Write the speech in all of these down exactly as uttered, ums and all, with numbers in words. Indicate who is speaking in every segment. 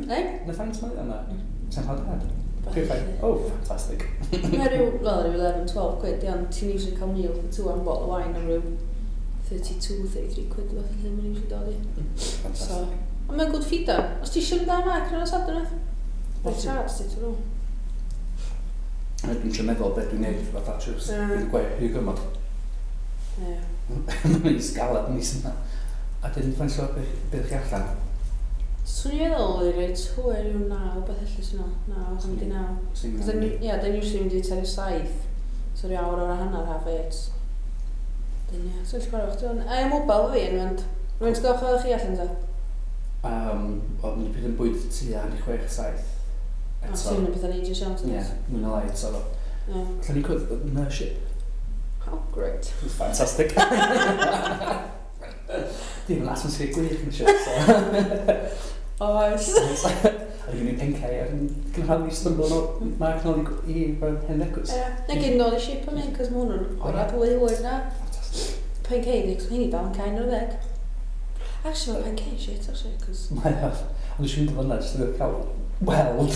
Speaker 1: Ei?
Speaker 2: Na faint mae yna? Sa'n cael dad? Perfect. Oh, fantastic.
Speaker 1: Mae rhyw, wel, rhyw eleven, twelve quid, iawn, ti'n usually cael meal for two and bottle of wine am ryw thirty-two, thirty-three quid, fath o lle mae'n usually dod i.
Speaker 2: Fantastic.
Speaker 1: So, ond mae'n good feeder. Os ti eisiau mynd am ac yn y Sadwrn, Mae'n charge ti, ti'n nhw.
Speaker 2: Dwi'n trio meddwl beth dwi'n neud fatha trips.
Speaker 1: Ie.
Speaker 2: Dwi'n gweud rhy gymod.
Speaker 1: Ie.
Speaker 2: Mae'n sgalad mis yma. A dyn faint o beth chi allan?
Speaker 1: Swn i'n meddwl i reit hwyr rhyw naw, beth felly sy'n nhw. Naw, hanner di naw.
Speaker 2: Swn
Speaker 1: Cos then, ie, then usually mynd i tua ryw saith. So rhyw awr o'r hanner, half eight. Dyn, ie. So, ti'n gwybod, chdi. Ai, mobile fi yn mynd. Rwy'n ti'n gwybod chi allan ta?
Speaker 2: Um, Wel, mynd i pryd yn bwyd tua hanner chwech, saith.
Speaker 1: O,
Speaker 2: Eto.
Speaker 1: ti'n mynd pethau'n ages iawn,
Speaker 2: Ie, mwy na lai eto.
Speaker 1: Ie.
Speaker 2: Allan ni cwrdd yn y ship.
Speaker 1: Oh, great.
Speaker 2: Fantastic. Dim yn atmosphere gwych yn y ship, so.
Speaker 1: Oes.
Speaker 2: A dwi'n mynd pencau ac yn gynhadlu stumble nôl, Mark nôl i, i hen Lecws.
Speaker 1: Ie. Na gyd nôl i ship am un, cos ma' hwnnw'n
Speaker 2: O, ie.
Speaker 1: gorau fwy hwyr na.
Speaker 2: Fantastic.
Speaker 1: Pancake, cos ma' hynny dal yn cael o'r ddeg. Actually, mae pancake shit, actually, cos...
Speaker 2: Mae o. Ond dwi'n mynd fyna, jyst yn cael weld.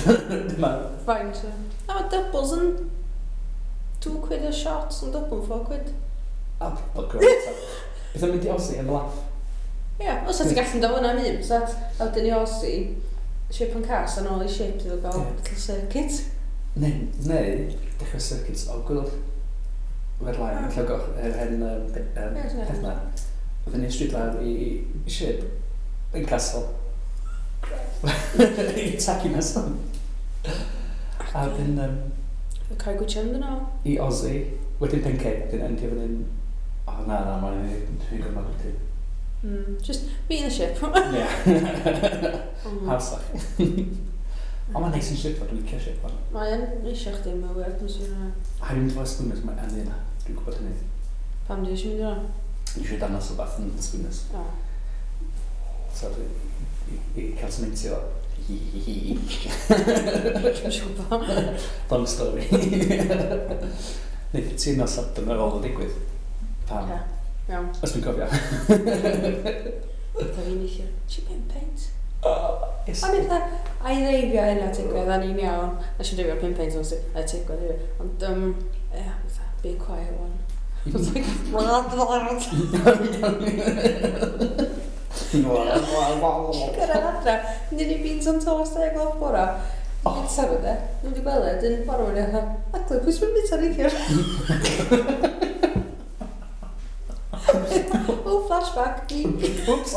Speaker 2: Dyma.
Speaker 1: Faint o... Na, mae doubles yn... Two quid a shot, yn double yn four quid.
Speaker 2: A, bugger. Beth yn mynd i Aussie am laugh?
Speaker 1: Ie, yeah, os ti'n gallu dod fyna am un, so a wedyn i Aussie, ship yn cas, a nôl i ship, iddo gael
Speaker 2: Ie.
Speaker 1: little circuit.
Speaker 2: Neu, neu, dechrau circuits o gwylch. Red line,
Speaker 1: Ah.
Speaker 2: lle goch, yr hen um, pe- um,
Speaker 1: Ie, dyna.
Speaker 2: peth na. Oedden ni'n stryd lawr i, i ship, yn castle. I tacu nesaf. A wedyn um,
Speaker 1: Y cael gwtio yn dyn
Speaker 2: i Aussie, wedyn Pencay, wedyn endio fan hyn. O na, na, mae'n rhy gymryd wedyn.
Speaker 1: Mm, just me in the ship.
Speaker 2: Ie.
Speaker 1: Mm.
Speaker 2: Hawsach. Ond mae'n neis yn ship, dwi'n licio ship. fan.
Speaker 1: Mae yn eisiau chdi, mae'n weird, mae'n swnio.
Speaker 2: A dwi'n mynd efo Spooners, mae yn yna. Dwi'n gwybod hynny.
Speaker 1: Pam di eisiau mynd yna?
Speaker 2: Dwi'n eisiau dangos o beth yn Spooners.
Speaker 1: O.
Speaker 2: So dwi i, i cael sementio. Hi hi hi.
Speaker 1: Dwi'n siŵr pam.
Speaker 2: Long story. Neith ti nos Sadwrn ar ôl o digwydd. Pam?
Speaker 1: Ie. Iawn.
Speaker 2: Os dwi'n cofio.
Speaker 1: Fatha fi'n eithaf. Ti pum peint?
Speaker 2: Oh, yes.
Speaker 1: O'n i fatha, a i ddeifio hynna tigwedd, a ni'n iawn. Nes i dreifio pum peint, ond a tigwedd hefyd. Ond, um, ie, fatha, be quiet one. I was like, Gyrraedd adra, mynd i beans on toast dau gloch bora. Bwyta fo de. Dwi'n wedi gweld e, dyn bora mwyn i fatha, aglu, pwy sy'n mynd bwyta neithiwr? Oh, flashback, me.
Speaker 2: Oops.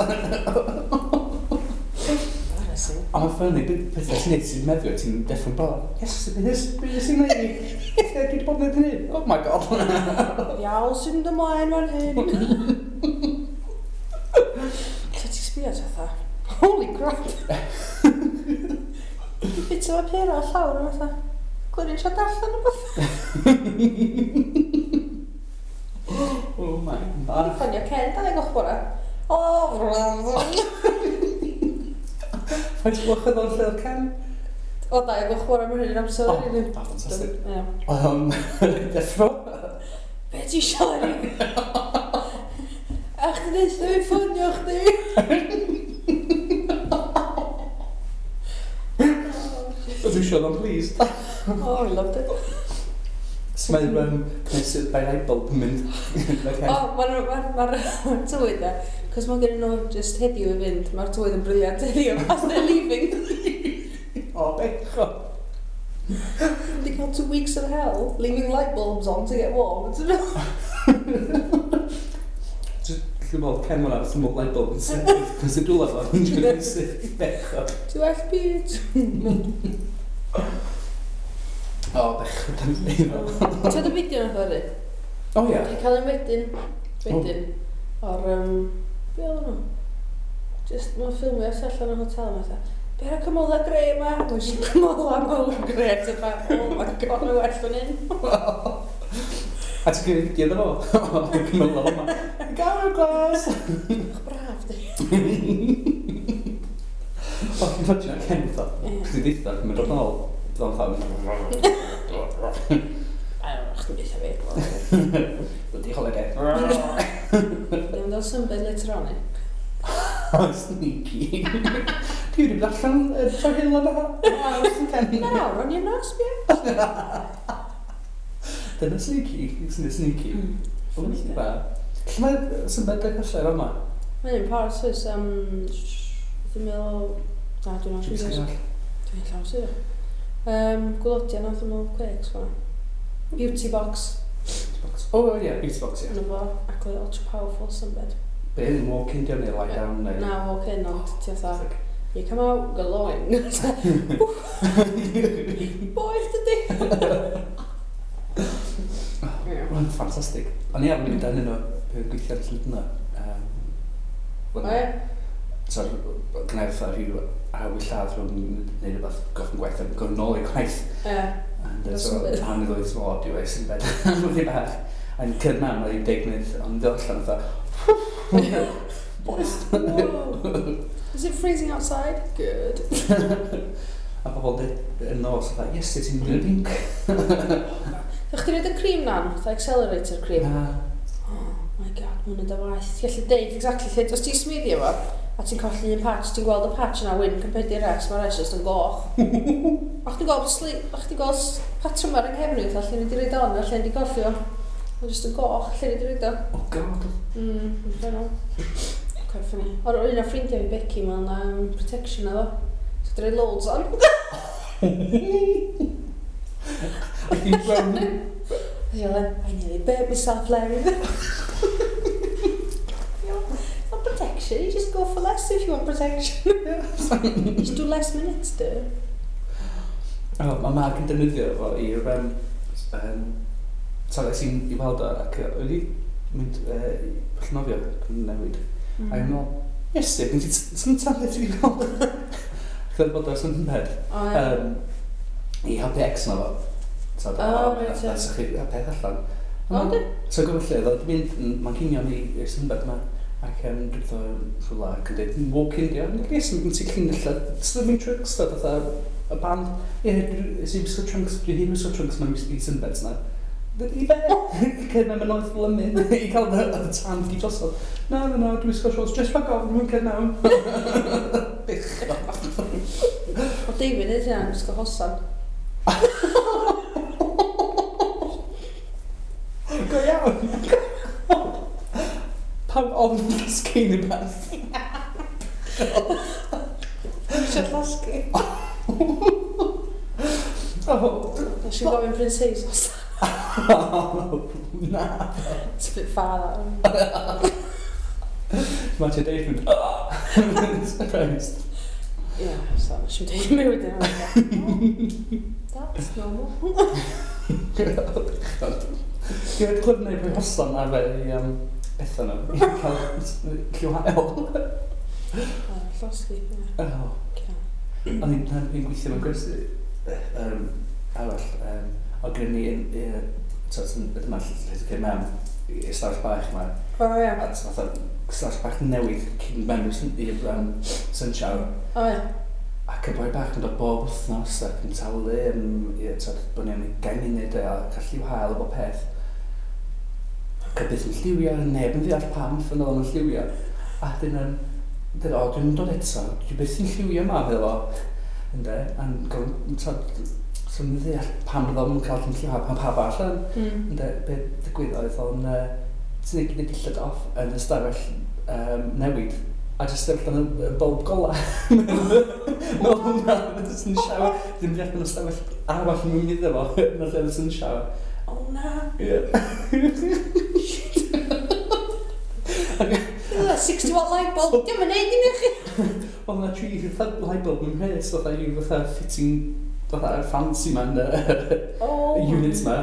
Speaker 1: Embarrassing.
Speaker 2: Ond mae'n funny, pethau ti'n neud sy'n meddwl, ti'n deffro'n bora. Yes, yes, beth sy'n neud i? Dwi wedi bod yn neud hynny. Oh my god.
Speaker 1: Iawn sy'n mynd ymlaen fan hyn. So ti'n sbio at fatha, holy crap. Bit o papur ar llawr a fatha, gliri'n siarad allan o beth.
Speaker 2: Oh my
Speaker 1: Dwi'n
Speaker 2: god.
Speaker 1: ffonio Ken, dau gloch bora. O,
Speaker 2: Faint o gloch oedd o'n lle oedd Ken?
Speaker 1: O, dau gloch bora, mae'n hynny'n amser.
Speaker 2: Oh,
Speaker 1: rili.
Speaker 2: oh, fantastic.
Speaker 1: Ie.
Speaker 2: Um, deffro.
Speaker 1: Be ti isio, Eri? A chdi neud fi ffonio chdi.
Speaker 2: Ydw i siarad o'n pleased.
Speaker 1: Oh, I loved it.
Speaker 2: So mae'n um, cnesu by light bulb yn mynd. Okay.
Speaker 1: O, mae'r ma, ma, ma tywydd e, cos mae gen nhw just heddiw i fynd, mae'r tywydd yn brilliant heddiw, as they're leaving.
Speaker 2: O, bechod.
Speaker 1: Wedi cael two weeks of hell, leaving light bulbs on to get warm. Ti'n meddwl?
Speaker 2: Just, dwi'n meddwl, Ken hwnna, dwi'n meddwl light bulb yn syth. Yn syth dwla fo, yn syth. Bechod.
Speaker 1: Ti well byd.
Speaker 2: O, bechod yn ei fel.
Speaker 1: Ti'n y fideo nath o
Speaker 2: O ie.
Speaker 1: Dwi'n cael un wedyn, wedyn, o'r, um, be oedd nhw? Just, mae'n ffilmio tu allan o'r hotel yma, fatha, be ar y cymylau grey yma? Mae'n jyst cymylau mawr grey, ti'n fa, oh my god, mae'n well fan hyn.
Speaker 2: A ti'n gwneud fideo iddo fo? Cymylau yma. Gael glas!
Speaker 1: Ach, braf, di.
Speaker 2: O, ti'n imagine Ken fatha.
Speaker 1: Ie.
Speaker 2: Chdi deitha, mynd o'r nôl. Bydd o'n fatha.
Speaker 1: I don't know, chdi'n deutha fi.
Speaker 2: Bloody holiday.
Speaker 1: Ddim dod sunbed later on, eh?
Speaker 2: Oh, sneaky. Dwi'n Dwi wedi bod allan trwy hyn o'n
Speaker 1: Nawr, o'n i'n nos, bia.
Speaker 2: Dyna sneaky, sy'n sneaky. Funny ba. Lle mae sunbed y cysau yma?
Speaker 1: Mae'n parts oes, um, dwi'n meddwl... Na, dwi'n meddwl siŵr. Dwi'n llawn siŵr. Um, Gwlodia nath yn meddwl Quakes fan'na. Beauty Box.
Speaker 2: Beauty Box. O, oh, ie, yeah, Beauty Box, ie.
Speaker 1: Yna fo, ac oedd ultra powerful sunbed.
Speaker 2: Be, yn walk-in di neu lie down neu?
Speaker 1: Na, walk-in, ond ti fatha... You come out glowing. Boeth dydi!
Speaker 2: Mae'n ffantastig. O'n i ar mynd yn nhw, yn gweithio ar y llyd yna.
Speaker 1: O ie?
Speaker 2: So, gwneud fatha rhyw awy lladd rhwng neu rhywbeth goffyn gwaith a gorfod nôl i gwaith.
Speaker 1: Ie.
Speaker 2: And so, pan i ddweud, o, dwi wedi sunbed. Wedi bach. A'n cyrraedd mewn, oedd hi'n deg munud, ond dod allan fatha, boeth!
Speaker 1: Is it freezing outside? Good.
Speaker 2: A pobl dweud yn nos, fatha, yes, ti'n mynd yn pink.
Speaker 1: Ydych chdi roed y cream na'n, fatha accelerator cream?
Speaker 2: Na.
Speaker 1: Oh my god, mae hwnna'n da waith. Ti'n gallu deud exactly lle, os ti'n smuddio fo, a ti'n colli un patch, ti'n gweld y patch yna wyn compared i'r rest, mae'r rest just yn goch. A chdi'n gweld sli, a chdi'n gweld patrwm ar yng nghefn i, fatha lle ni wedi roed on a lle ni wedi colli o. Mae'n just yn goch, lle ni wedi roed o.
Speaker 2: Oh god.
Speaker 1: Mm, infernal. Quite funny. O'r un o ffrindiau fi, Becky, mae'n um, protection iddo. So dwi'n rhoi loads on.
Speaker 2: Ac i'n brown.
Speaker 1: I nearly burnt myself, Larry. It's not protection, you just go for less if you want protection. Just do less minutes, do.
Speaker 2: Oh, mae Mark yn defnyddio fo i'r... Um, um, so es i'n i weld o ac wedi mynd uh, pwll nofio ac yn newid. Mm. A i'n meddwl, yes, dwi'n sy'n talu ti wedi gweld. Ac oedd bod o'r sunbed.
Speaker 1: Oh, yeah.
Speaker 2: Um, I helpu ex na fo. So,
Speaker 1: oh, right,
Speaker 2: yeah. So, chi a peth allan.
Speaker 1: O, di?
Speaker 2: So, gwybod lle, oedd mynd, mae'n cinio ni i'r sunbed yma. Ac um, dwi'n dod rhywle ac yn dweud, walk-in, di. Yes, mae'n ti llinellau swimming trunks, da, fatha y band. Ie, yeah, i'n wisgo trunks, dwi hi'n wisgo trunks mewn i sunbeds na. I be? Cyd mae'n mynd oedd lymyn i cael y tan di drosodd. Na, na, na, dwi'n wisgo shorts, just rhag ofn, dwi'n cyd mewn. Bechod.
Speaker 1: O David ydy hynna'n wisgo hosan.
Speaker 2: Go iawn. Pam ofn llosgi neu beth?
Speaker 1: Eisiau llosgi.
Speaker 2: Oh.
Speaker 1: Nes i gofyn pryn seis hosan.
Speaker 2: Na.
Speaker 1: It's a bit far, that.
Speaker 2: Mae ti'n deud mynd, surprised.
Speaker 1: Yeah, so nes i'n deud mi wedyn. That's normal.
Speaker 2: Dwi'n wedi clywed wneud rhoi hosan ar fe i um, bethau nhw, i cael lliw hael.
Speaker 1: Llosgi, ie.
Speaker 2: O'n i'n gweithio mewn gwersi um, arall, um, o gyda ni, dyma lle ti'n cael mewn i'r stafell bach yma.
Speaker 1: O, ie.
Speaker 2: A fatha stafell bach newydd cyn mewn i'r um, sun shower.
Speaker 1: O, ie.
Speaker 2: Ac y boi bach yn dod bob wythnos ac yn talu am, ie, tyd, bod ni am ugain munud a cael lliw hael o bob peth. Ac y byth yn lliwio, neb yn ddeall pam ffyn oedd o'n lliwio. A dyn yn, dyn, o, dwi'n dod eto, dwi byth yn lliwio yma, fel o. Ynde, a'n gofyn, tyd, so yn ddeall pam oedd o'n cael lliw hael, pam pawb allan.
Speaker 1: Mm.
Speaker 2: Ynde, be ddigwyddodd oedd o'n, uh, ti'n ei gyd dillad off yn y stafell um, newid. A jyst sefyll yn y bulb gola. Mewn hwnna, jyst yn shower. Ddim deall mewn ystafell arall yn mynd iddo fo, yn y lle yn shower.
Speaker 1: Oh na.
Speaker 2: Ie.
Speaker 1: sixty watt light bulb, dim yn neud dim i chi.
Speaker 2: Oedd yna tri fatha light bulb yn mhres, fatha yw fatha fitting, fatha fancy man, y
Speaker 1: Oh
Speaker 2: unit ma.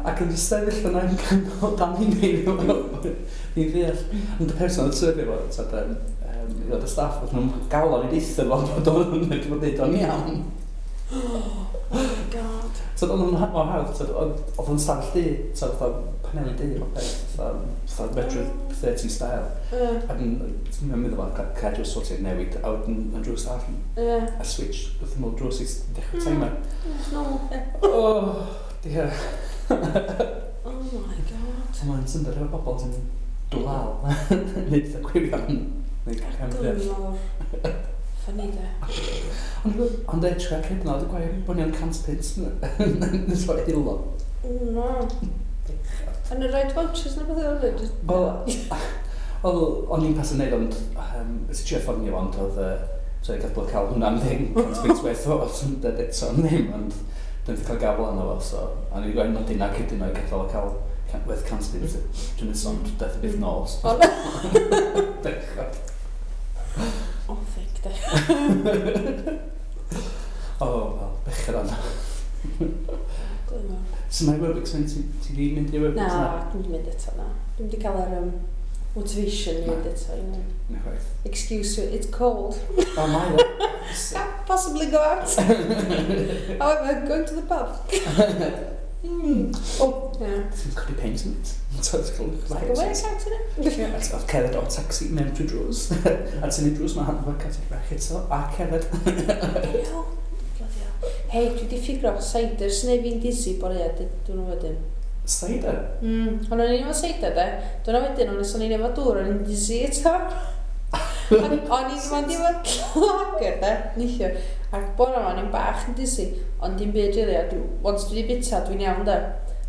Speaker 2: Ac yn just sefyll yna yn canol dan i'n neud ni'n ddeall. Ond y person oedd sefyll fo, tyd, um, um, y staff, oedd nhw'n galon i deitha fo, bod o'n wedi bod neud o'n iawn.
Speaker 1: Oh my god.
Speaker 2: So oedd o'n mor hawdd, tyd, oedd o'n stafell du, tyd, fatha paneli du, o peth, fatha, fatha retro thirty style.
Speaker 1: Ie.
Speaker 2: A dyn, ti'n meddwl fel, ca drws sort of newid, a wedyn yn drws arall,
Speaker 1: Ie.
Speaker 2: a switch, wrth ymwyl drws i dechrau timer.
Speaker 1: It's normal, ie.
Speaker 2: Oh, dear.
Speaker 1: Oh my god.
Speaker 2: So mae'n syndod efo bobl sy'n dwlal, neu fatha gwirion, neu camddeall.
Speaker 1: Gyngor. Funny, de.
Speaker 2: Ond ond e, trwy pryd na, dwi'n gwaith, bod ni'n cant punt. Nes fo hilo.
Speaker 1: No. Yn y rhaid vouchers na beth oedd e? Just...
Speaker 2: Wel, wel, o'n i'n pasu neud, ond, um, ys i trio ffonio fo, ond oedd, uh, so i gadw cael hwnna am ddim, cant punt werth o, os yn dweud eto am ddim, ond dwi'n cael gafel arno fo, so, a ni wedi gwaith nodi na cydyn nhw i gadael o cael can- werth cant punt, dwi'n mynd ond daeth y byth nôl. So.
Speaker 1: O,
Speaker 2: Bechod.
Speaker 1: O, thick, de.
Speaker 2: O, wel, bechod arno.
Speaker 1: Glyn mawr.
Speaker 2: So mae aerobics yn ti, ti di mynd i aerobics?
Speaker 1: Na, dwi'n mynd eto, na. Dwi'n wedi cael yr um, motivation i
Speaker 2: Na.
Speaker 1: mynd eto. You know.
Speaker 2: Na chwaith.
Speaker 1: Excuse, it's cold.
Speaker 2: O, mae o.
Speaker 1: Can't possibly go out. However, going to the pub.
Speaker 2: Mm. O,
Speaker 1: Yeah.
Speaker 2: ti'n codi peint yn it. So it's called
Speaker 1: It's like a workout, innit?
Speaker 2: A ti'n cerdded o'r taxi mewn trwy drws. A ti'n neud drws, mae hand workout i'r bach eto, a cerdded.
Speaker 1: Bloody hell. Bloody hell. Hei, dwi wedi ffigro cider sy'n neud fi'n dizzy bore a dwi'n wedyn.
Speaker 2: Cider?
Speaker 1: Mm, ond o'n i'n efo cider de. Dwi'n wedyn, ond o'n i'n efo dŵr, o'n i'n dizzy eto. Ac o'n i'n mynd efo lager de, neithiwr. Ac bore yma, o'n i'n bach yn dizzy, ond dim byd really, a dwi, once dwi wedi bita, dwi'n iawn de.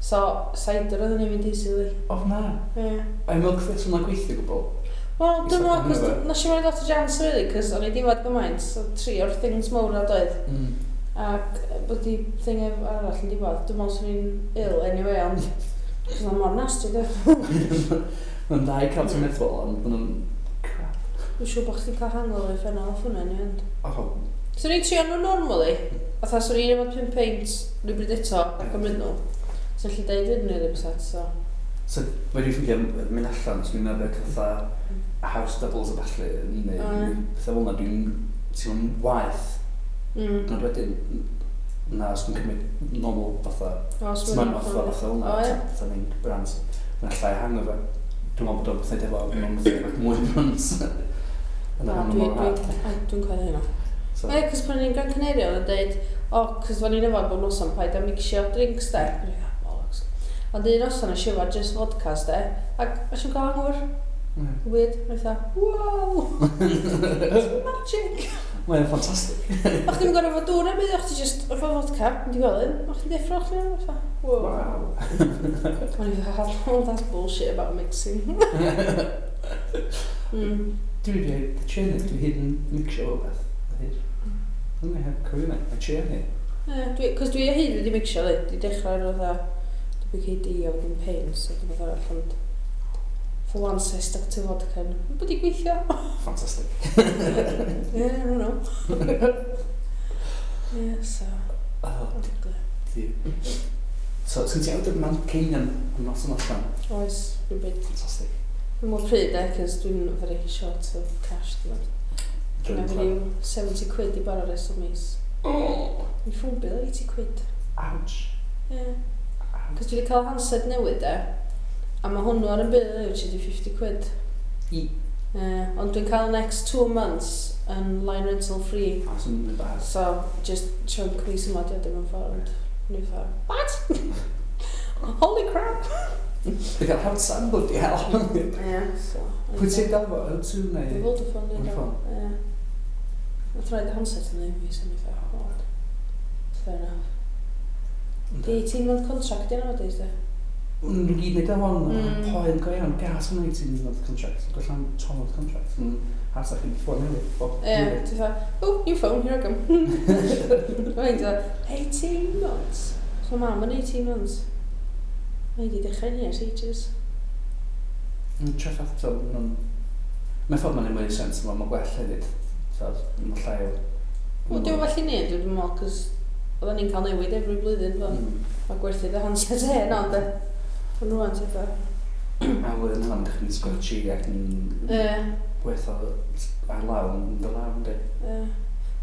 Speaker 1: So, cider oedd yn ei fynd dizzy, li.
Speaker 2: O, na.
Speaker 1: Ie.
Speaker 2: Ai milk thistle hwnna'n gweithio gwbl?
Speaker 1: Wel, dwi'n meddwl, cos
Speaker 2: Isa-
Speaker 1: nes i mynd lot o chance, really, cos o'n i di fod gymaint, so tri o'r things mawr na doedd.
Speaker 2: Mm.
Speaker 1: Ac bod di thing ef- arall yn diwedd, dwi'n meddwl swn i'n ill anyway, ond cos o'n mor nasty, de.
Speaker 2: Mae'n dda i cael ti'n meddwl, ond maen nhw'n crap.
Speaker 1: Dwi'n siŵr bod chdi'n cael hangover uffernol off hwnna, anyway, ond.
Speaker 2: O,
Speaker 1: Swn i'n trio nhw normally, fatha swn i'n efo pum peint rhywbryd eto, a cymryd nhw. So allu deud iddyn nhw ddim set, so.
Speaker 2: So, wedi ffeindio mynd allan, so dwi'n meddwl fatha house doubles a ballu, neu
Speaker 1: O, ie.
Speaker 2: pethau fel yna, dwi'n teimlo'n waeth.
Speaker 1: Mm.
Speaker 2: Ond wedyn, na, os dwi'n cymryd normal fatha,
Speaker 1: O, so
Speaker 2: Smirnoff a fatha fel
Speaker 1: O, ie.
Speaker 2: yna, fatha ni'n brands, mae'n llai hangover. Dwi'n meddwl bod o'n pethau efo, mae'n pethau mwy brands. Yna
Speaker 1: Na,
Speaker 2: ma'n
Speaker 1: dwi,
Speaker 2: mor
Speaker 1: dwi,
Speaker 2: rhad.
Speaker 1: ai, dwi'n coelio hynna.
Speaker 2: So,
Speaker 1: Ie, cos pan o'n i'n Gran Canaria, oedd yn deud, o, cos fan i'n yfad bob noson, paid â mixio drinks, de. O'n i'n fatha, bollocks. Ond un noson nes i yfad just vodkas, de, ac nes i'n cael hangover.
Speaker 2: ie.
Speaker 1: Weird. O'n i fatha, wow, it's magic.
Speaker 2: Mae'n ffantastig.
Speaker 1: O'ch ti'n gorfod efo dŵr am byd, o'ch ti just efo vodka, mynd i gweld un, o'ch ti'n deffro, o'ch ti'n fatha, wow.
Speaker 2: Wow.
Speaker 1: O'n i fatha, oh, that's bullshit about mixing. mm.
Speaker 2: Dwi wedi trio neud, dwi hyd yn mixio o beth. Hyd. Dwi'n heb cofio yna, mae trio neud.
Speaker 1: Ie, dwi, cos dwi o hyd wedi mixio, li. Dwi dechrau ar fatha W K D a wedyn pain, so dwi'n fatha arall, ond for once I stuck to vodka. Mae'n bod i gweithio.
Speaker 2: Ffantastig.
Speaker 1: Yeah, I don't know. Yeah, so
Speaker 2: Oh,
Speaker 1: ugly.
Speaker 2: di. So, sgyn ti awdur Manceinion am noson allan?
Speaker 1: Oes, rhywbryd.
Speaker 2: Ffantastig.
Speaker 1: Dwi'n mor pryd, e, cos dwi'n very short of cash, dwi'n meddwl.
Speaker 2: Dwi'n
Speaker 1: Dwi'n ryw seventy quid i bara rest o mis.
Speaker 2: Oh,
Speaker 1: Mi phone bill eighty quid.
Speaker 2: ouch.
Speaker 1: Yeah.
Speaker 2: Ouch.
Speaker 1: Cos dwi wedi cael handset newydd, e. A mae hwnnw ar yn bill, which ydi fifty quid.
Speaker 2: I.
Speaker 1: Yeah, ond dwi'n cael next two months yn line rental free.
Speaker 2: A sy'n mynd bad.
Speaker 1: So, just chunk mis yma di o dim yn ffordd, ond o'n i fatha, what? Holy crap!
Speaker 2: Dwi'n cael handset, bloody hell.
Speaker 1: Yeah, so.
Speaker 2: Pwy ti'n gael fo? O two neu?
Speaker 1: Dwi'n Vodafone, neu
Speaker 2: Vodafone.
Speaker 1: Ie. Nath rhaid y handset yn ddim fi, so o'n i fatha, oh, fair enough. Di eighteen month contract di nowadays, de?
Speaker 2: Nhw gyd wneud o hon,
Speaker 1: Mm.
Speaker 2: poen go iawn, gas yn eighteen month contract. Gwellan twelve month contract. Yn hasach i'n ffôn newydd. bob
Speaker 1: Ie,
Speaker 2: blwyddyn.
Speaker 1: ti'n fatha, oh, new phone, here I come. Mae'n fatha, eighteen months. So mam yn eighteen months. Mae di dechrau ni ers ages.
Speaker 2: Yn traffath, so, ma'n... Mae'n ffordd mae'n neud mwy sens, mae'n ma gwell hefyd. So, mae'n llai o...
Speaker 1: Wel, dwi'n well i ni, dwi'n meddwl, cos oedden ni'n cael newid every blwyddyn, fo.
Speaker 2: Mm.
Speaker 1: Mae gwerthu dy handset hen, ond de. Ond rwan, ti'n fatha.
Speaker 2: A flwyddyn hynna'n dechrau'n sgwatchy ac yn
Speaker 1: Ie,
Speaker 2: gweithio ar law yn dy law, yndi?
Speaker 1: Ie.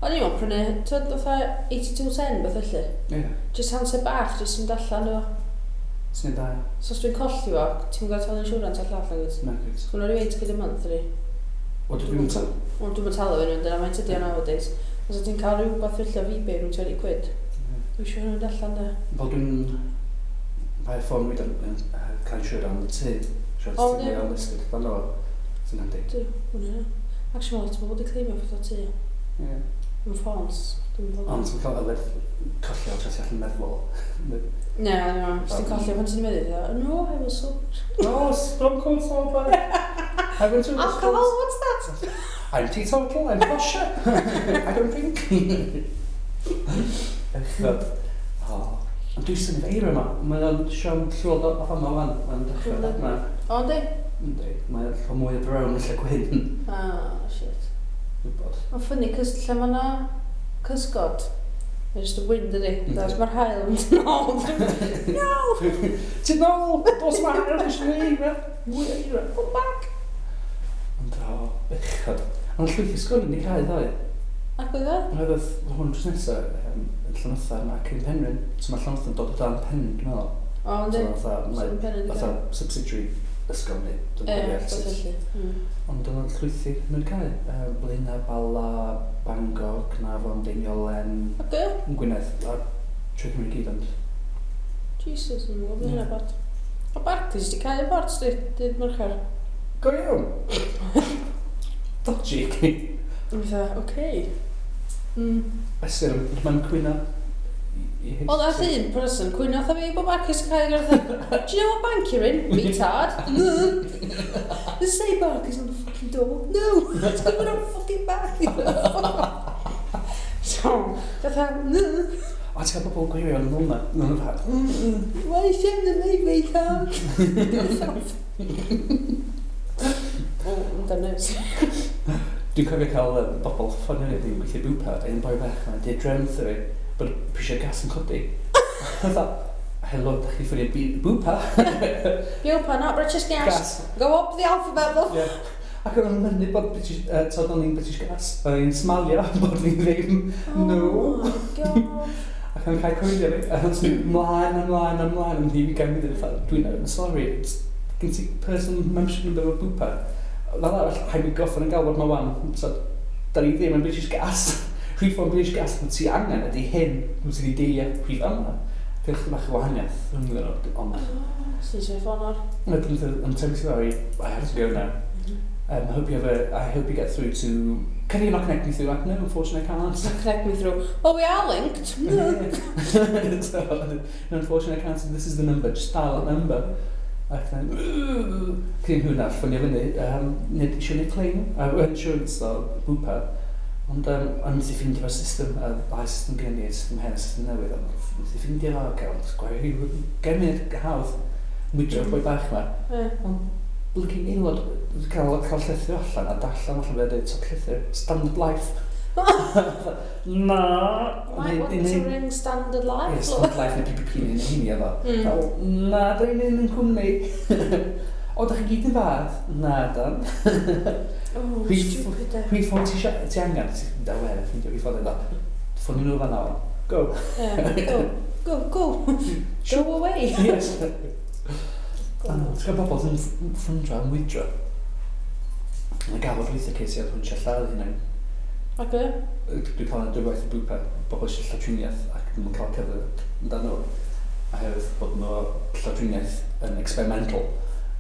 Speaker 1: O'n i'n meddwl prynu, ti'n fatha eighty-two ten beth felly.
Speaker 2: Ie.
Speaker 1: Just handset bach, just yn allan efo.
Speaker 2: Sy'n da.
Speaker 1: So os dwi'n colli fo, ti'n gwybod talu insurance ar llall, nag wyt?
Speaker 2: Na, gwyd.
Speaker 1: So mae'n rhyw eight quid a month, ydi.
Speaker 2: O, dwi'n talu.
Speaker 1: Wel, dwi'n talu fe nhw, dyna mae'n tydi o nowadays. Os ti'n cael rhywbeth felly o eBay rhwng twenty quid, dwi'n siŵr nhw'n allan, de.
Speaker 2: Fel dwi'n... Mae ffôn fi yn cael insurance am y tŷ. Insurance
Speaker 1: O,
Speaker 2: tŷ
Speaker 1: ie.
Speaker 2: neu unlisted. Fan o. Sy'n handi.
Speaker 1: Dwi, hwnna. Actually, mae lot o bobl wedi claimio fatha tŷ.
Speaker 2: Ie.
Speaker 1: Yn ffons. Dwi'n gwybod.
Speaker 2: Ond ti'n cael yfed colli o tresi allan meddwl.
Speaker 1: Na, na. Os ti'n colli pan ti'n meddwl, no, I was sober.
Speaker 2: No, stone cold sober. I went to
Speaker 1: Alcohol, what's that?
Speaker 2: I'm teetotal, I'm kosher. I don't drink. Echod. O. Ond dwi'n synnu eira yma. Mae o'n siom llwyd o fama wan. Mae'n dechrau
Speaker 1: Yndi.
Speaker 2: yma.
Speaker 1: O, yndi?
Speaker 2: Yndi. Mae'n lle mwy o brown yn lle gwyn.
Speaker 1: Ah, shit.
Speaker 2: Gwybod.
Speaker 1: Mae'n funny, cys lle mae yna cysgod, mae'n just y wind ydi.
Speaker 2: Yndi.
Speaker 1: Os mae'r haul yn mynd yn ôl. No!
Speaker 2: Ti'n nôl! Dos ma haul eisiau eira! Mwy o eira!
Speaker 1: Come back!
Speaker 2: Ond o, bechod. Ond llwyth ysgolion wedi cael ddoe.
Speaker 1: Ac oedd e?
Speaker 2: Oedd oedd hwn drws nesaf um, yn Llanwthan ac yn Penrhyn. So mae Llanwthan dod o dan Penrhyn, dwi'n meddwl.
Speaker 1: O, yndi.
Speaker 2: So fatha,
Speaker 1: So
Speaker 2: mae
Speaker 1: yn Penrhyn
Speaker 2: fatha subsidiary ysgol neu dwi'n
Speaker 1: Ie,
Speaker 2: cofio
Speaker 1: beth
Speaker 2: sut.
Speaker 1: felly. Mm.
Speaker 2: Ond oedd o'n llwythi nhw'n cael. Uh, Blaenau, Bala, Bangor, Caernarfon, Deiniolen,
Speaker 1: Oce.
Speaker 2: yn Gwynedd, a trwy Cymru i gyd, ond
Speaker 1: Jesus, yn gwybod
Speaker 2: Ie.
Speaker 1: hynna bot. O, Barclays di cael y bot, di, dydd Mercher.
Speaker 2: Go iawn! Dodgy.
Speaker 1: Yn fatha, oce. Mm.
Speaker 2: Ystyr, mae'n cwyno i- i
Speaker 1: Wel, nath un person cwyno wrtha fi bod Barclays yn cael ei fatha, do you know what bank you're in? Retard. Does it say Barclays on the fucking door? No! It's going on fucking Barclays. So, fatha, mm.
Speaker 2: O, ti'n cael bobl gwirion yn hwnna. Nhw'n fatha, mm, mm.
Speaker 1: Why send them me, retard? O, yn dynes.
Speaker 2: Dwi'n cofio cael um, bobl ffonio fi dwi'n gweithio Bupa, a un boi bach yma, dweud drefn wrtho fi, bod prisiau gas yn codi. Fatha, helo, da chi ffonio Bu- Bupa?
Speaker 1: Bupa, not British Gas.
Speaker 2: Gas.
Speaker 1: Go up the alphabet, love.
Speaker 2: Ie. Ac o'n mynnu bod British, uh, tod o'n i'n British Gas, o'n i'n smalio bod fi ddim. No.
Speaker 1: Oh my God.
Speaker 2: Ac o'n cael coelio fi, a o'n mynd mlaen, ymlaen, ymlaen, am ddim i gael mynd fatha, dwi'n I'm sorry, it's- gen ti personal membership number o Bupa. Fel arall, rhaid mi goffod yn galwad ma wan, so, da ni ddim yn British Gas. Rhif o'n British Gas, mae ti angen ydy hyn, wyt ti wedi deilio rhif yma. Dwi'n chydig bach o wahaniaeth rhwng nhw, ond
Speaker 1: Oh, Sy'n sef ffôn o'r.
Speaker 2: I'm, I'm terribly sorry, I have to go now. Um, I hope you have a, I hope you get through to, can you not connect me through? Like, no, unfortunately I can't.
Speaker 1: Connect me through. Well, we are linked.
Speaker 2: So, no, unfortunately I can't. This is the number, just dial that number. Ac then, cyn hwnna, ffonio fyny, um, nid eisiau gwneud claim, uh, insurance o Bupa. Ond um, o'n methu ffeindio fo'r system, a ddau system gen i, system hen, system newydd, ond methu ffeindio fo, okay, ond gwario gemyd hawdd, mwydro'r boi bach ma.
Speaker 1: Ie.
Speaker 2: Ond blygu aelod, cael, cael llythyr allan a darllen allan fe dweud top llythyr, Standard Life. Na.
Speaker 1: Might want to ring Standard Life.
Speaker 2: Ie, Standard Life neu P P P neu'n hynny efo.
Speaker 1: Mm.
Speaker 2: Fel, na, da ni'n un cwmni. O, da chi gyd yn fath? Na, dan.
Speaker 1: Oh,
Speaker 2: Rhif-
Speaker 1: stupid e.
Speaker 2: Rhif ffôn ti isio- ti angen? Ti da wel, ffeindio rhif ffôn iddo. Ffonio nhw fan'na. Go.
Speaker 1: Yeah, go. Go, go. Go away.
Speaker 2: Yes. A no, ti'n cael bobl sy'n ffyndro am wydro. Mae'n gafod weithio ces i oedd hwn eisiau lladd hynny.
Speaker 1: Oce.
Speaker 2: Dwi'n cael yn dwywaith y Bupa, bobl eisiau llawdriniaeth ac ddim yn cael cyfle amdano nhw. Oherwydd bod nhw llawdriniaeth yn experimental.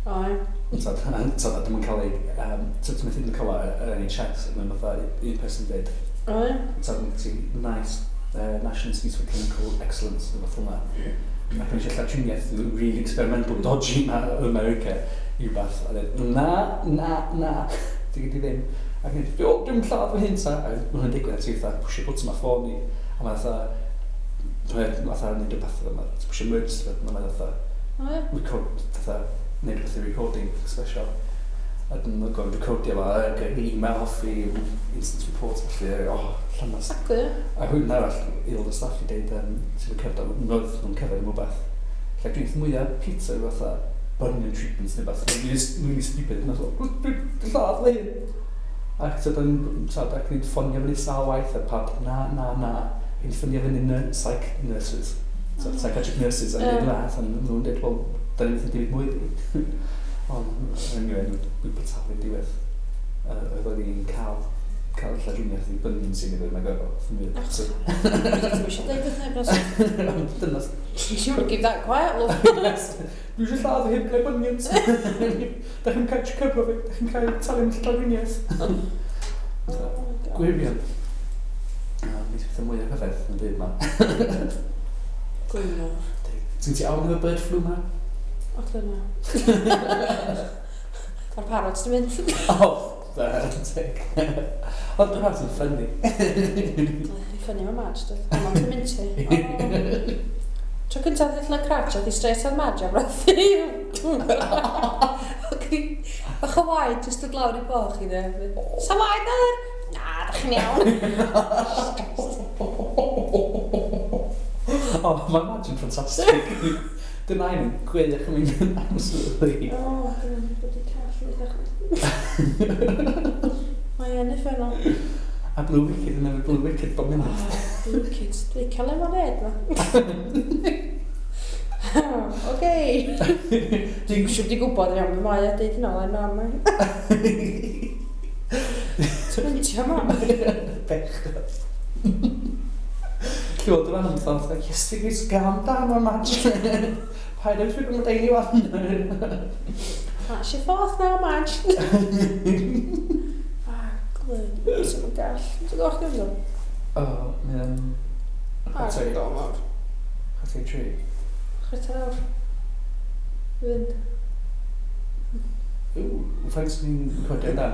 Speaker 1: O, ie.
Speaker 2: So, so ddim yn cael ei... Um, so ti'n methu ddim yn cael yr N H S, mae'n fatha un person dweud,
Speaker 1: O, ie.
Speaker 2: so ti nice, uh, National Institute for Clinical Excellence, neu fath hwnna. Ac yn eisiau llawdriniaeth really experimental, dodgy ma o America, i rhywbeth. A dweud, na, na, na, di gyd i ddim. Ac yn dweud, o, dwi'n lladd fy hyn ta. A mae hwnna'n digwydd, a ti fatha, pwysio bwtwm ar ffôn i. A mae fatha, dwi'n fatha, neud rhywbeth, a ti'n pwysio emergency button, a mae fatha,
Speaker 1: O, ie.
Speaker 2: record, fatha, neud rhywbeth i recording special. A dyn nhw'n gorfod recordio fo, ac e-mail off i instant report, felly, oh, llanas.
Speaker 1: Exactly, ie.
Speaker 2: A hwn arall, aelod o staff i deud, um, sy'n cerdded, roedd nhw'n cerdded am rhywbeth. Lle dwi'n mwyaf pizza yw fatha bunion treatments neu beth. Mae'n really stupid. Mae'n fatha, dwi'n lladd fy hun. Ac so do'n so, ac ni'n ffonio fyny sawl waith a pawb, na, na, na. Ni'n ffonio fyny nur, psych nurses. So, psychiatric nurses, a
Speaker 1: Ie.
Speaker 2: ni'n dweud, a nhw'n dweud, wel, da ni'n methu dim mwy di. Ond, anyway, nhw'n talu diwedd. Uh, oedd o'n i'n cael cael llawdriniaeth i bunion sy'n ei mae'n gorfod. So,
Speaker 1: Dwi'n eisiau deud wrth neb, nos.
Speaker 2: dyna
Speaker 1: You want to keep that quiet, love.
Speaker 2: Dwi eisiau lladd fy hyn gyda bunions. Da chi'n cael cyfro fi, da chi'n cael talu am llawdriniaeth.
Speaker 1: Oh my God.
Speaker 2: Gwirion. Mae'n pethau mwy o rhyfedd yn y byd ma.
Speaker 1: Gwynor.
Speaker 2: Ti'n ti awn efo bird flu ma?
Speaker 1: O, dyna. Mae'r parrots di mynd.
Speaker 2: O, teg. Ond dwi'n parrots yn ffynnu.
Speaker 1: Ni ffynnu mae Madge, dod. Ond ti'n mynd ti. Tro cyntaf ddeall na cratch, oedd hi straight ar Madge a brathu. Bach o waed, jyst dod lawr i boch i dde. Sa waed ar? Na, da chi'n iawn.
Speaker 2: O, mae Madge yn ffantastig. Dyna un yn gwych yn mynd absolutely.
Speaker 1: O, dyna'n bod i call yn eich. Mae yn uffernol.
Speaker 2: A Blue Wicked yn efo Blue Wicked bob munud.
Speaker 1: Oh, Blue Wicked. Dwi'n cael lemonade ma. Oce. Dwi'n siŵr di gwybod iawn, mae mae a deud hynna lai mam. Ti'n mynd mam.
Speaker 2: Bechod. Llywod y fan yn fatha, yes, ti'n gwys gam dan o'r Madge. Paid â dwi'n gwybod anyone.
Speaker 1: That's your fourth now, Madge. Ah, glyn. Sy'n mynd gall. Ti'n gwybod chdi yn
Speaker 2: O, mae'n...
Speaker 1: Ah,
Speaker 2: Chwarter
Speaker 1: go mawr.
Speaker 2: i tri.
Speaker 1: Chwarter awr. Fynd.
Speaker 2: Ww, faint ni'n recordio amdan?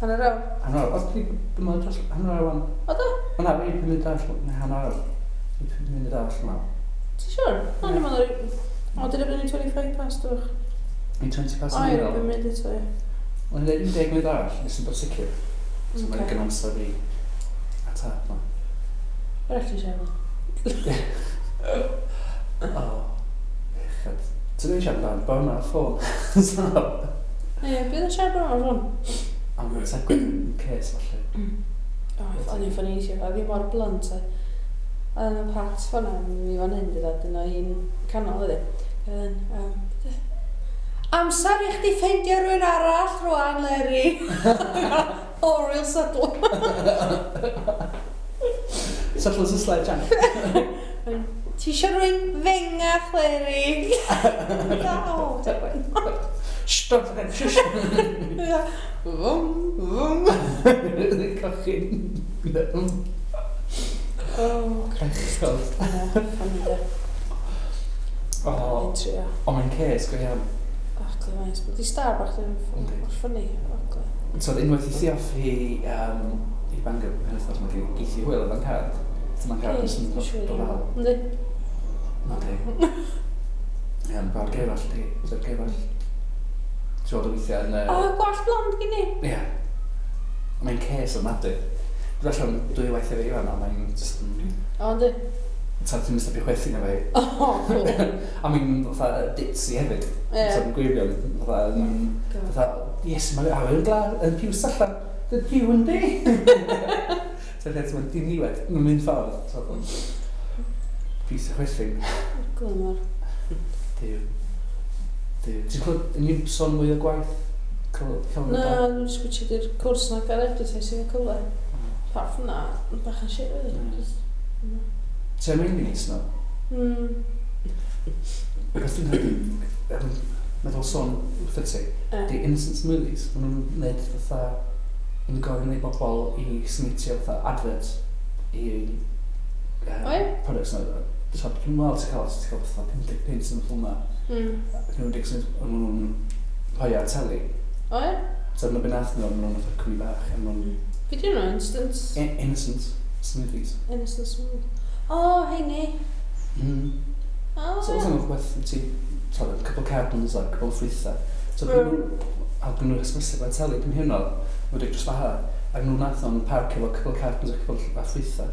Speaker 1: Hanner awr.
Speaker 2: Hanner awr. Os di bym dros hanner awr wan.
Speaker 1: O do?
Speaker 2: O na, fi pum munud arall, neu hanner awr. Fi pum munud arall ma.
Speaker 1: Ti'n siŵr? O, ni'n meddwl... O, dyna bod ni'n twenty-five past o'ch.
Speaker 2: Ni twenty past
Speaker 1: O,
Speaker 2: yn
Speaker 1: ie,
Speaker 2: meddwl.
Speaker 1: pum munud eto, ie.
Speaker 2: Mae'n dweud un deg munud arall, nes yn bod sicr. So mae'n
Speaker 1: Ocê.
Speaker 2: gen amser i ateb ma.
Speaker 1: Yr eich ti'n siarad?
Speaker 2: O, bechod. Ti'n dweud siarad amdano, bo yma ar ffôn. So,
Speaker 1: Ie, bydd yn siarad bod yma ffôn.
Speaker 2: Am y tegwyd yn ces, falle.
Speaker 1: O, o'n i'n ffynnu eisiau, oedd hi mor blunt. Oedd yna Pat fan'na, mi fan hyn, dyd, dyna un canol ydy. Oedd yn, um, amser i chdi ffeindio rhywun arall rwan, Leri. Oh, real subtle.
Speaker 2: Subtle as a sledgehammer.
Speaker 1: Ti eisiau rhywun fengach, Leri? O, tegwyd.
Speaker 2: Shh, don't forget, shush.
Speaker 1: Fwm, fwm.
Speaker 2: Cochyn.
Speaker 1: Oh, Christ.
Speaker 2: Bechod.
Speaker 1: Ie, ffynnu de.
Speaker 2: O,
Speaker 1: Fi'n trio.
Speaker 2: o, mae'n ces, go iawn.
Speaker 1: Och, glyfais. Di star bach ddim
Speaker 2: Yndi.
Speaker 1: mor ffynnu. O, glyf.
Speaker 2: So, unwaith i thi off i, um, i Bangor, pen wythnos, mae geith i hwyl efo'n card. So mae'n card yn
Speaker 1: Dwi'n siŵr.
Speaker 2: dod lawr.
Speaker 1: Yndi.
Speaker 2: Yndi. Ie, mae'n gweld gefall, di. Bydd gefall. Ti'n gweld o weithiau yn...
Speaker 1: O, gwallt blond gen i.
Speaker 2: Ie. Mae'n ces ofnadwy. Dwi'n allan dwy waith efo Iwan, a mae'n just yn...
Speaker 1: O, yndi.
Speaker 2: Ta, ti'n mynd stopio chwerthin efo fi.
Speaker 1: O, cool.
Speaker 2: A mae'n fatha ditzy hefyd.
Speaker 1: Ie.
Speaker 2: So mae'n gwirion. Fatha, yn-
Speaker 1: God.
Speaker 2: fatha, yes, mae'n awyr yn gla, yn piws allan. Dy piw yn di. So lle ti'n mynd diniwed, mae'n mynd ffordd. So, piws o chwerthin.
Speaker 1: Glymor.
Speaker 2: Duw. Duw. Ti'n clywed, yn i'n sôn mwy o gwaith? Clywed, clywed
Speaker 1: Na, dwi'n sgwtio di'r cwrs na gael advertising y cyfle. Apart from that, yn bach yn shit, really.
Speaker 2: Mm.
Speaker 1: Just, mm.
Speaker 2: Ti'n mynd i neis no?
Speaker 1: Mm.
Speaker 2: Beth dwi'n yym, meddwl sôn wrth ti,
Speaker 1: Ie.
Speaker 2: di Innocent Smoothies, maen nhw'n gwneud fatha, yn gofyn i bobl i submitio fatha advert i uh,
Speaker 1: O ie?
Speaker 2: products nhw. So, dwi'n meddwl ti'n cael, ti'n cael fatha pum deg punt yn y ffilm na.
Speaker 1: Mm.
Speaker 2: Ac nhw'n dweud, maen nhw'n rhoi ar teli.
Speaker 1: O ie?
Speaker 2: So, dyna beth nath nhw, maen nhw'n fatha cwmni bach, a maen nhw'n
Speaker 1: Fi di nhw instant.
Speaker 2: I- Innocent Smoothies.
Speaker 1: Innocent smooth. O, heini.
Speaker 2: Mm.
Speaker 1: O,
Speaker 2: So,
Speaker 1: ie.
Speaker 2: oedd nhw'n rhywbeth, ti, sorry, couple of cartons a couple of ffrwythau. So,
Speaker 1: Mm.
Speaker 2: mm. a dyn nhw'n hysbysu ar teli, dim hyn oedd, wedi dros faha. Ac nhw'n nath o'n parc efo couple of cartons a couple of ffrwythau.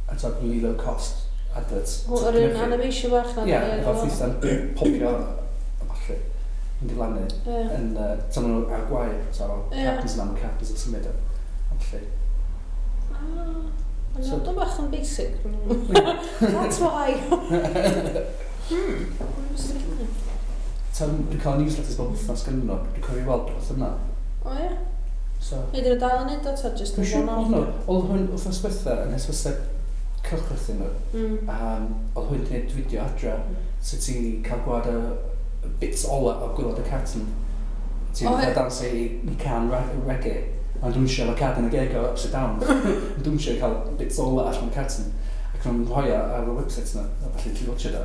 Speaker 2: A so, really low cost adverts.
Speaker 1: O, yr un animation bach na.
Speaker 2: Ie, efo ffrwythau'n popio a falle, yn diflannu.
Speaker 1: Ie.
Speaker 2: Yn, uh, so maen nhw ar gwair, so
Speaker 1: Ie.
Speaker 2: cartons yna, mae cartons yn symud o. A falle.
Speaker 1: Ah, Mae'n
Speaker 2: So-
Speaker 1: so, bach yn basic. That's why. Hmm.
Speaker 2: So, dwi'n cael newsletters bob wythnos gan nhw, dwi'n cofio weld rhywbeth yna.
Speaker 1: O ie?
Speaker 2: So,
Speaker 1: Neu dyn nhw dal yn neud o, ta just
Speaker 2: Dwi'n
Speaker 1: yn
Speaker 2: siŵr bod
Speaker 1: one-off?
Speaker 2: nhw. Oedd hwn wythnos diwetha yn hysbyseb cylchlythyr nhw.
Speaker 1: Mm.
Speaker 2: Um, oedd hwn wedi gwneud fideo adra sut ti cael gweld y y bits ola o gwaelod y carton. Ti'n
Speaker 1: O,
Speaker 2: oh,
Speaker 1: ie.
Speaker 2: dawnsio i, i can re reggae. Mae'n dwnsio efo card yn y geg o upside down. Mae'n dwnsio i cael bits o allan o'r carton. Ac nhw'n rhoi ar y website yna, a falle ti'n watch o.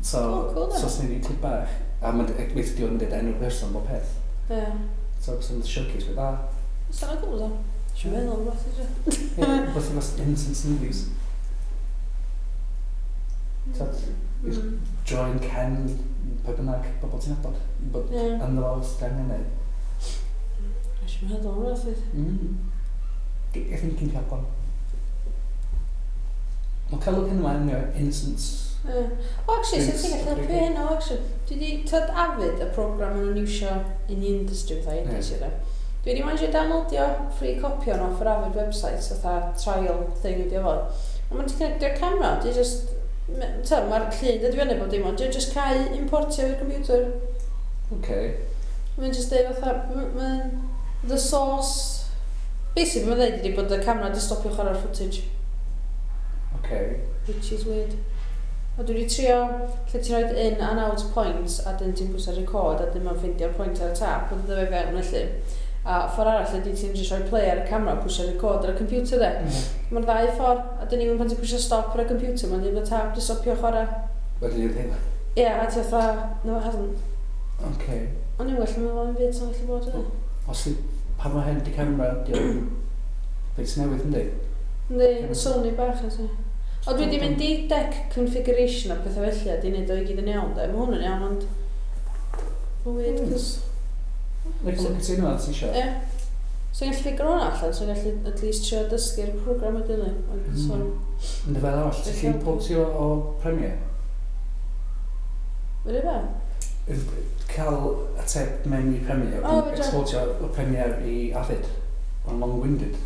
Speaker 2: So,
Speaker 1: oh, cool,
Speaker 2: so os ni'n clip bach, a mae'n weithio diwedd yn dweud enw'r person bob peth.
Speaker 1: Ie.
Speaker 2: So, sy'n showcase beth dda.
Speaker 1: Sa'n cool, so. Si'n meddwl am rhywbeth eisiau.
Speaker 2: Ie, rhywbeth efo innocent smoothies. So,
Speaker 1: Mm.
Speaker 2: Join Ken, pe bynnag, bobl ti'n nabod. Bod
Speaker 1: Ie.
Speaker 2: ynddo fo os ti angen neu.
Speaker 1: Si'n meddwl am rhywbeth eisiau.
Speaker 2: Mm. I think ti'n cael one. Mae'n cael look yma yn innocence.
Speaker 1: Ie. O, actually, sy'n ti'n gallu helpu
Speaker 2: Drinks.
Speaker 1: hyn o, actually. Dwi di, tyd Avid, y program maen nhw'n iwsio in the industry, fatha
Speaker 2: Ie.
Speaker 1: editio, de. Dwi wedi managio downloadio free copy o'n off yr Avid website, fatha trial thing ydi o fod. Ond mae'n ti'n connectio'r camera, di just, ta, mae'r llun dod i fyny bod dim ond, di just cael importio i'r computer.
Speaker 2: Okay.
Speaker 1: Mae'n just deud fatha, m- mae'n, the source, basically mae'n dweud ydi bod y camera di stopio chwarae'r footage.
Speaker 2: Okay.
Speaker 1: Which is weird. A dwi wedi trio lle ti'n rhoi in and out points a dyn ti'n pwyso record a dyn mae'n ffeindio'r point ar y tap a dod o fe fewn felly. A ffordd arall ydy ti'n just rhoi play ar y camera a pwysio record ar y computer de.
Speaker 2: Mm.
Speaker 1: Mae'r ddau ffordd a dyn ni'n pan ti'n pwysio stop ar y computer mae'n dweud bod tap di stopio chwarae.
Speaker 2: Wedi dweud hyn.
Speaker 1: Ie, yeah, a ti fatha, no it hasn't.
Speaker 2: Okay.
Speaker 1: O'n i'n well yn meddwl am byd sy'n gallu bod yna.
Speaker 2: Os di, pan mae hyn di camera, di o'n beth newydd yndi?
Speaker 1: Yndi, Sony bach ys. O dwi wedi mynd i deck configuration a pethau felly a di wneud o i gyd yn iawn de. Mae hwn yn iawn ond... Mae'n weird,
Speaker 2: Mm.
Speaker 1: cos...
Speaker 2: Neu cael look at hynna, ti eisiau?
Speaker 1: Ie. So i'n gallu figure hwnna allan, so i'n gallu at least trio dysgu'r program wedyn ni. Ond
Speaker 2: Mm.
Speaker 1: so,
Speaker 2: Ynddi fel arall, ti'n gallu importio o Premiere?
Speaker 1: wedi be?
Speaker 2: Cael ateb mewn i Premiere,
Speaker 1: O, fedra.
Speaker 2: exportio o Premiere i Avid. Mae'n long-winded.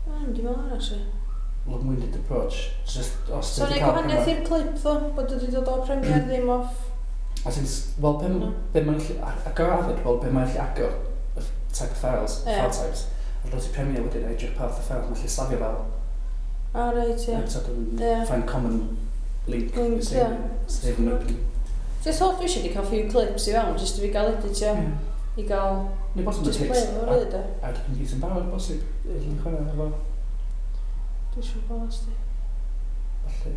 Speaker 1: O, dwi'n meddwl hwnna, actually.
Speaker 2: Long-winded approach. Just, os
Speaker 1: So
Speaker 2: ti
Speaker 1: neu
Speaker 2: cael
Speaker 1: gwahaniaeth i'r clip ddo, bod wedi dod o Premiere ddim off.
Speaker 2: As in, wel, be,
Speaker 1: No.
Speaker 2: be mae'n gallu agor Avid, wel, be mae'n gallu agor y type of files,
Speaker 1: Ie.
Speaker 2: file types. A dod i Premiere wedyn, a edrych pa fath o files mae'n gallu safio fel.
Speaker 1: O, reit, ie.
Speaker 2: So, dwi'n
Speaker 1: Ie.
Speaker 2: find common link.
Speaker 1: Link,
Speaker 2: save,
Speaker 1: ie.
Speaker 2: Save and open.
Speaker 1: Just holl dwi eisiau di cael few clips i fewn, just i fi gael editio,
Speaker 2: Ie.
Speaker 1: i gael
Speaker 2: Neu bosib
Speaker 1: just
Speaker 2: yn
Speaker 1: play
Speaker 2: clips
Speaker 1: efo really, de.
Speaker 2: ar dy computer yn barod, bosib. Dwi'n chwarae efo.
Speaker 1: Dwi eisiau bod os di.
Speaker 2: Felly.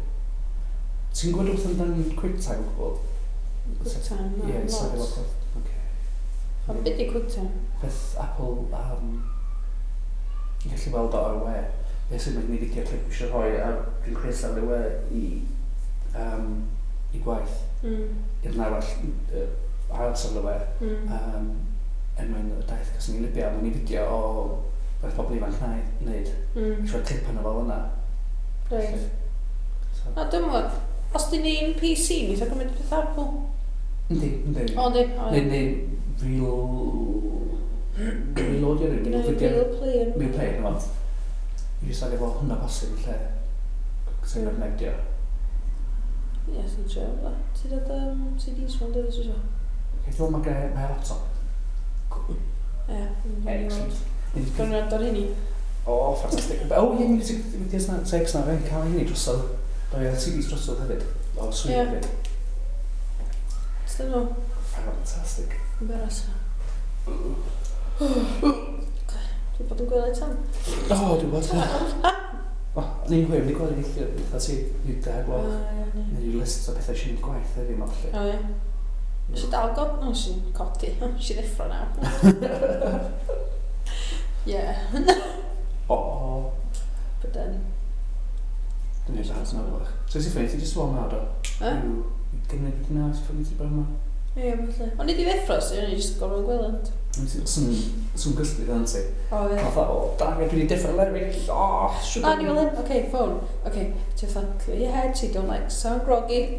Speaker 2: Ti'n gwybod wrth amdan QuickTime o gwbl?
Speaker 1: QuickTime, no,
Speaker 2: Ie, safio
Speaker 1: lot.
Speaker 2: lot. Oce.
Speaker 1: Ond beth di QuickTime?
Speaker 2: Peth Apple, um, i gallu weld o ar y we. Beth sy'n mynd i fideo clip eisiau rhoi ar dwi'n creu ar y we i, um, i gwaith.
Speaker 1: Mm.
Speaker 2: I'r arall, uh, ar safle we.
Speaker 1: Mm.
Speaker 2: Um, er mwyn y daith cos ni'n Libya, mae'n i fideo o beth pobl ifanc na wneud.
Speaker 1: Mm.
Speaker 2: Eisiau rhoi clip yna fel yna.
Speaker 1: Reit.
Speaker 2: So,
Speaker 1: Na, dwi'n meddwl, os di ni'n P C, mi eitha gymryd peth Apple.
Speaker 2: yndi, yndi.
Speaker 1: O, yndi. O,
Speaker 2: Neu, neu real... Reloadio rhywun,
Speaker 1: Gynna i
Speaker 2: video.
Speaker 1: real player.
Speaker 2: Real player, no. I jyst safio fel hwnna posib yn lle. Safio connectio.
Speaker 1: Ie, sy'n trio. Fel. Ti dod um, C Ds fan dweud eisiau?
Speaker 2: Okay, dwi'n meddwl mae gen i laptop.
Speaker 1: Ie.
Speaker 2: Excellent.
Speaker 1: Gwrdd ar hynny.
Speaker 2: O, ffantastig. O, ie, music videos na, tapes na, fe'n cael hynny drosodd. Do, ie, C Ds drosodd hefyd. O, sweet
Speaker 1: Ie.
Speaker 2: hefyd.
Speaker 1: Dyn nhw.
Speaker 2: Fantastic.
Speaker 1: Embarrass. Dwi'n bod yn gwely tan.
Speaker 2: O, dwi'n bod. O, ni'n hwyr, ni'n gweld eitha, eitha ti, ni'n deg
Speaker 1: O,
Speaker 2: gweld.
Speaker 1: ie, ie.
Speaker 2: Neu list o pethau sy'n mynd gwaith heddiw ma, felly.
Speaker 1: O, ie. Nes i dal god... No, nes i'n codi. Nes i ddeffro nawr. Ie.
Speaker 2: O,
Speaker 1: But then...
Speaker 2: dwi'n neud that nawr bach. So ti'n ffynnu, ti jyst wal nawr, do?
Speaker 1: Eh?
Speaker 2: Dim neud beth na, ti'n ffynnu ti bod yma?
Speaker 1: Ie, falle. O'n i di ddeffro, so o'n i jyst gorfod gwely. ond-
Speaker 2: Swn swn gysgu ddan ti.
Speaker 1: O, ie.
Speaker 2: Fatha, o, dang, dwi wedi deffro Larry. O, siwr.
Speaker 1: Na, ni fel hyn. Okay, phone. Okay, ti fatha, clear your head so you don't like sound groggy.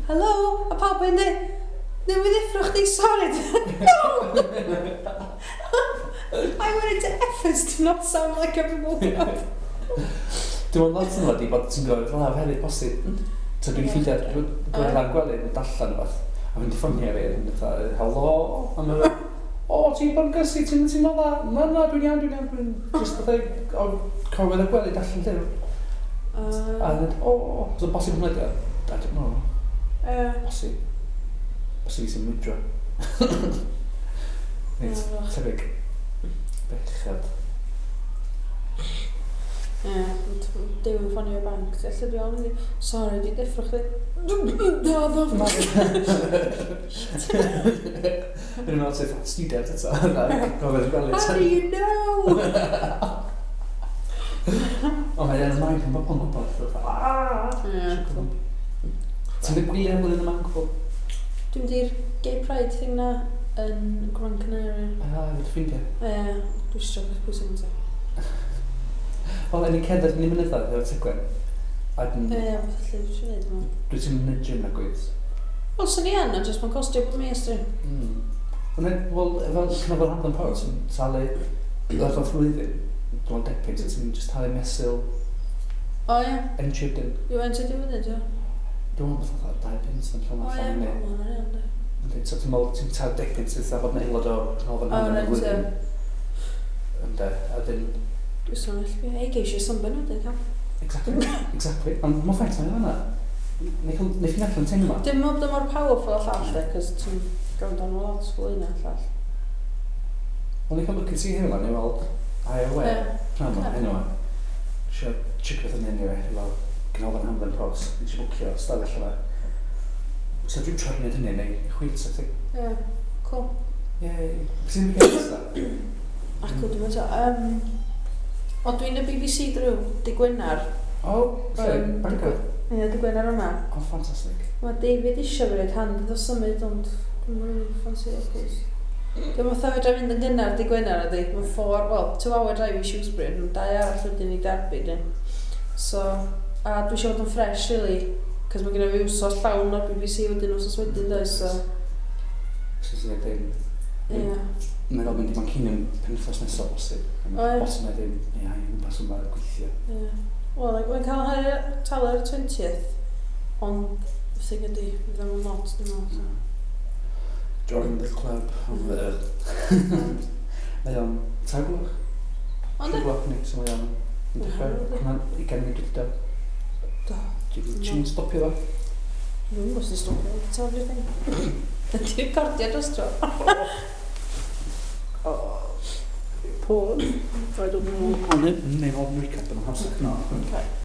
Speaker 1: Hello, a pawb yn dweud, newydd ddeffro chdi, sorry. No! I went into efforts to not sound like I've been woken up.
Speaker 2: Dwi'n meddwl lot yn wedi bod ti'n gwybod fel hefyd posib. So dwi'n
Speaker 1: Ie.
Speaker 2: ffeindio, dwi'n gweld lan gwely, yn darllen rhywbeth. A fynd i ffonio fi, yn fatha, helo? A mae'n fel, o, ti'n bod yn gysgu, ti'n ti'n meddwl dda? Na, na, dwi'n iawn, dwi'n iawn, dwi'n just fatha, o, corwedd y gwely, darllen llyfr. A
Speaker 1: Uh,
Speaker 2: dweud, o, so bosib hwnna di, I don't know,
Speaker 1: Ie.
Speaker 2: bosib. Bosib i sy'n mwydro. Nid,
Speaker 1: Ie,
Speaker 2: tebyg. Bechod.
Speaker 1: Ie, dim yn ffonio banc. Lle dwi on, sorry, dwi deffro chdi. Do, do.
Speaker 2: Dwi'n meddwl sydd student eto.
Speaker 1: How do you know?
Speaker 2: O, mae'n annoying pan bobl yn gwybod.
Speaker 1: Ie.
Speaker 2: Ti'n mynd gwylio blwyddyn yma yn gwybod?
Speaker 1: Dwi'n mynd i'r Gay Pride thing na yn Gran Canaria.
Speaker 2: Ah, efo dy ffrindiau?
Speaker 1: Ie, dwi'n siarad beth pwysig yn te.
Speaker 2: Wel, en i cerdded yn i mynyddoedd efo Tegwen. A dyn...
Speaker 1: Ie, beth allu dwi'n gwneud yma.
Speaker 2: Dwi ti'n mynd i'r gym na gwyth.
Speaker 1: Wel, swn i yn, ond jyst mae'n costio bod mis, dwi.
Speaker 2: Mm. Wel, efo Canolfan Hamdden Port, ti'n talu lefel flwyddyn, dwi'n debyg, so ti'n just talu mesul
Speaker 1: O, ie.
Speaker 2: Entry wedyn.
Speaker 1: Yw entry di wedyn, ti'n?
Speaker 2: Dwi'n meddwl fatha dau punt yn llawn
Speaker 1: O, ie,
Speaker 2: allan,
Speaker 1: ma' hwnna'n iawn, di.
Speaker 2: Yndi, so ti'n meddwl, ti'n talu deg punt sydd fod yn aelod o Canolfan
Speaker 1: O,
Speaker 2: Hamdden y
Speaker 1: reit,
Speaker 2: flwyddyn.
Speaker 1: ie.
Speaker 2: Ynde, a dyn...
Speaker 1: Dwi'n sôn all fi. Ei, geisio sunburn wedyn, cael.
Speaker 2: Exactly, exactly. Ond mae'n ffaith mae'n fan'na. Neu ffyn allan teimlo.
Speaker 1: Dim meddwl bod o mor powerful a llall, de, cos ti'n gwrando arno lot fwy na llall.
Speaker 2: Wel, ni'n cael lwcus i hyn yma, ni'n weld I O E.
Speaker 1: Ie.
Speaker 2: Pnawn yma,
Speaker 1: Ocê.
Speaker 2: anyway. Isio checio beth yn anyway, efo Canolfan Hamdden Pros. Nes i bwcio stafell yma. So dwi'n trio gwneud hynny, neu chwil sa ti.
Speaker 1: Ie, cool.
Speaker 2: Yay. Ti'n mynd i nesa?
Speaker 1: Acw, dwi'n meddwl. Um, o, dwi'n y B B C drwy, dy Gwener.
Speaker 2: O, lle?
Speaker 1: Yym,
Speaker 2: Bangor?
Speaker 1: Ie, dy Gwener yma.
Speaker 2: O, ffantastig.
Speaker 1: Mae David isio fi roid hand iddo symud, ond dwi'n mynd ffansi o, cos. Dwi'n fatha fedra fynd yn gynnar dy Gwener ydi. Mae'n four, well, two hour drive i Shrewsbury, ond dau arall wedyn i Derby, dyn. So, a dwi eisiau fod yn fresh, really, cos mae genna fi wsos llawn o'r B B C wedyn wsos wedyn, does, so,
Speaker 2: So ti'n dweud,
Speaker 1: ie.
Speaker 2: Mae'n fel mynd i Manceinion penwythnos nesaf bosib.
Speaker 1: O, ie.
Speaker 2: Bosib na ddim, ie, i'n gwmpas yma gweithio.
Speaker 1: Ie. Wel, like, mae'n cael hanner talu ar y twentieth, ond y thing ydi, fydd o'n lot, dwi'n meddwl, so.
Speaker 2: Join the club.
Speaker 1: Mm.
Speaker 2: Mae o'n tair gloch.
Speaker 1: Ond
Speaker 2: Tri gloch ni, so mae o'n yn dechrau.
Speaker 1: Ie.
Speaker 2: Hwnna'n ugain munud wedi do.
Speaker 1: Do.
Speaker 2: Ti'n stopio fo?
Speaker 1: Dwi'n gwybod sy'n stopio, dwi'n taflu'r thing. Ydy recordio dros tro.
Speaker 2: Pause. I don't know. Ond neu neu fod yn recap yn amser. No.
Speaker 1: Okay.